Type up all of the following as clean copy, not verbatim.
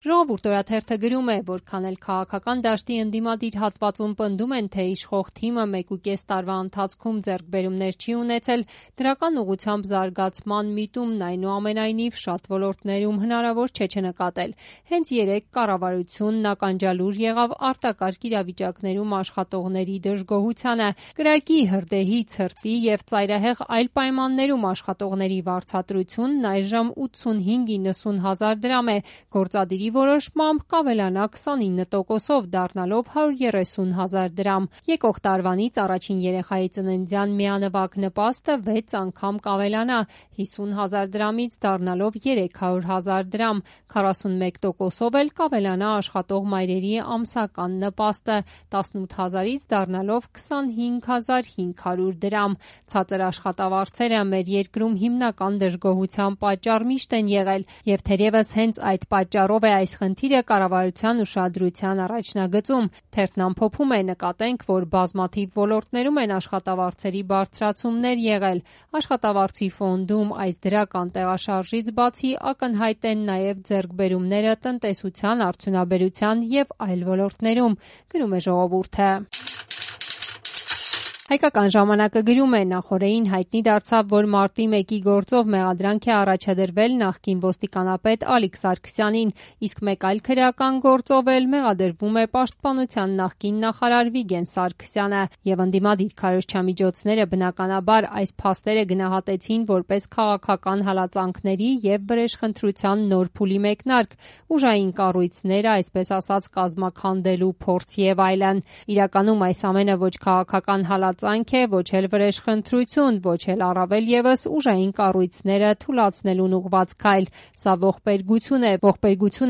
Ժողովուրդ օրաթերթը գրում է, որքան էլ քաղաքական դաշտի ընդդիմադիր հատվածում պնդում են, թե իշխող թիմը 1.5 տարվա ընթացքում ձեռքբերումներ չի ունեցել, դրական ուղղությամբ զարգացման միտումն այնուամենայնիվ շատ ոլորտներում հնարավոր չէ չնկատել։ Հենց երեկ կառավարությունն ականջալուր եղավ արտակարգ իրավիճակներում աշխատողների դժգոհությանը, կրակի, հրդեհի, ցրտի եւ ծայրահեղ այլ պայմաններում աշխատողների վարձատրությունն այժմ 85-90 հազար դրամ է, գործադիրի որոշմամբ կավելանա 29%-ով, դառնալով 130 հազար դրամ։ Եկող տարվանից առաջին երեխայի ծննդյան միանվագ նպաստը 6 անգամ կավելանա, 50 հազար դրամից դառնալով 300 հազար դրամ, 41%-ով էլ կավելանա աշխատող մայրերի ամսական նպաստը, 18 հազարից դառնալով 25,500 դրամ։ Ցածր աշխատավարձերը մեր երկրում հիմնական դժգոհության պատճառ միշտ են եղել, եւ թերևս հենց այդ պատճառով է այս խնդիրը կառավարության ուշադրության առաջնագծում։ Թերթն ամփոփում է, նկատենք, որ բազմաթիվ ոլորտներում են աշխատավարձերի բարձրացումներ եղել։ Աշխատավարձի ֆոնդում այս դրական տեղաշարժից բացի ակնհայտ են նաև ձեռքբերումները տնտեսության, արդյունաբերության եւ այլ ոլորտներում, գրում է Ժողովուրդը։ Հայկական ժամանակը գրում է, նախօրեին հայտնի դարձավ, որ մարտի 1-ի գործով մեղադրանք է առաջադրվել նախկին ոստիկանապետ Ալիկ Սարգսյանին, իսկ մեկ այլ քրեական գործով էլ մեղադրվում է պաշտպանության նախկին նախարար Վիգեն Սարգսյանը, եւ ընդդիմադիր քարոզչամիջոցները բնականաբար այս փաստերը գնահատեցին որպես քաղաքական հալածանքների եւ վրեժխնդրության նոր փուլի մեկնարկ, ուժային կառույցները, այսպես ասած, կազմաքանդելու փորձ եւ այլն։ Իրականում այս ամենը ոչ քաղաքական հալածանք է, ոչ էլ վրեժխնդրություն, ոչ էլ առավել եւս ուժային կառույցները թուլացնելուն ուղղված քայլ։ Սա ողբերգություն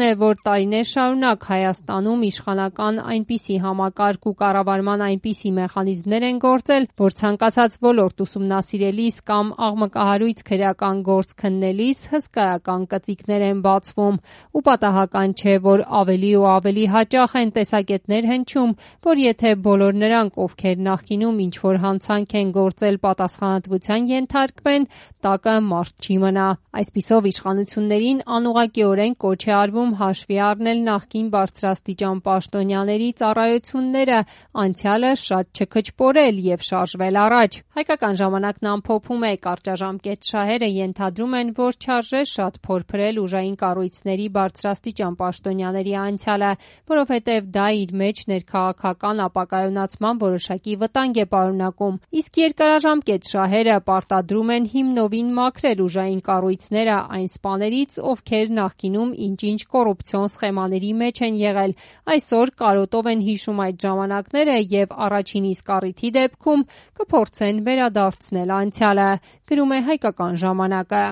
է, որ տարիներ շարունակ Հայաստանում իշխանական այնպիսի համակարգ ու կառավարման այնպիսի մեխանիզմներ են գործել, որ ցանկացած ոլորտ ուսումնասիրելիս կամ աղմկահարույց քրեական գործ քննելիս հսկայական կծիկներ են բացվում։ Ու պատահական չէ, որ ավելի ու ավելի հաճախ են տեսակետներ հնչում, որ եթե բոլոր նրանք, ովքեր նախկինում ինչ-որ հանցանք են գործել, պատասխանատվության ենթարկվեն, տակը մարդ չի մնա։ Այսպիսով իշխանություններին անուղղակիորեն կոչ է արվում հաշվի առնել նախկին բարձրաստիճան պաշտոնյաների ծառայությունները, անցյալը շատ չքչպորել եւ շարժվել առաջ։ Հայկական ժամանակն ամփոփում է, կարճաժամկետ շահերը ենթադրում են, որ չարժե շատ փորփրել ուժային կառույցների բարձրաստիճան պաշտոնյաների անցյալը, որովհետեւ դա իր մեջ ներքաղաքական ապակայունացման որոշակի վտանգ է պարունակում, իսկ երկարաժամկետ շահերը պարտադրում են հիմնովին մաքրել ուժային կառույցները այն սպաներից, ովքեր նախկինում ինչ-ինչ կոռուպցիոն սխեմաների մեջ են եղել, այսօր կարոտով են հիշում այդ ժամանակները եւ առաջին իսկ առիթի դեպքում կփորձեն վերադարձնել անցյալը, գրում է Հայկական ժամանակը։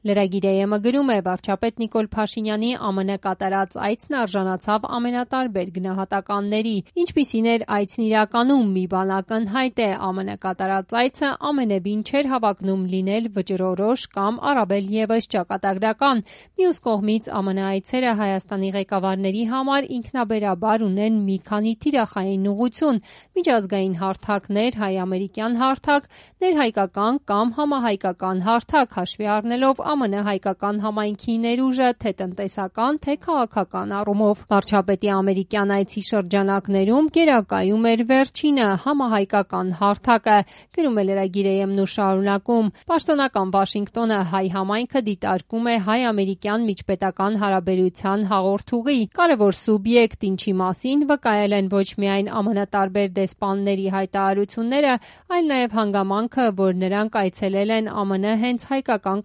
Lragir.am-ը գրում է, վարչապետ Նիկոլ Փաշինյանի ԱՄՆ կատարած այցն արժանացավ ամենատարբեր գնահատականների։ Ինչպիսին էր այցն իրականում, մի բան ակնհայտ է, ԱՄՆ կատարած այցը ամենևին չէր հավակնում լինել վճռորոշ կամ առավել եւս ճակատագրական։ Մյուս կողմից ԱՄՆ այցերը Հայաստանի ղեկավարների համար ինքնաբերաբար ունեն մի քանի թիրախային ուղղություն՝ միջազգային հարթակներ, հայ-ամերիկյան հարթակ, ներհայկական կամ համահայկական հարթակ, հաշվի առնելով ԱՄՆ հայկական համայնքի ներուժը թե տնտեսական, թե քաղաքական առումով։ Վարչապետի ամերիկյան այցի շրջանակներում գերակայում էր վերջինը՝ համահայկական հարթակը, գրում է Lragir.am-ն ու շարունակում. Պաշտոնական Վաշինգտոնը հայ համայնքը դիտարկում է հայ-ամերիկյան միջպետական հարաբերության հաղորդուղի, կարևոր սուբյեկտ, ինչի մասին վկայել են ոչ միայն ԱՄՆ տարբեր դեսպանների հայտարարությունները, այլ նաև հանգամանքը, որ նրանք այցելել են ԱՄՆ հենց հայկական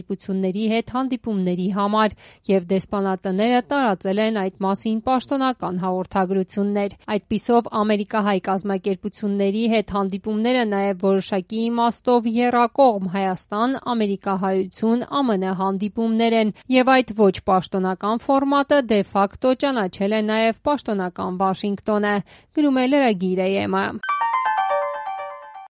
կազմակերպությունների հետ հանդիպումների համար եւ դեսպանատները տարածել են այդ մասին պաշտոնական հաղորդագրություններ։ Այդպիսով ամերիկահայ կազմակերպությունների հետ հանդիպումները նաև որոշակի իմաստով եռակողմ Հայաստան-ամերիկահայություն ԱՄՆ հանդիպումներ են եւ այդ ոչ պաշտոնական ֆորմատը դե ֆակտո ճանաչել է նաև պաշտոնական Վաշինգտոնը, գրում է Lragir.am-ը։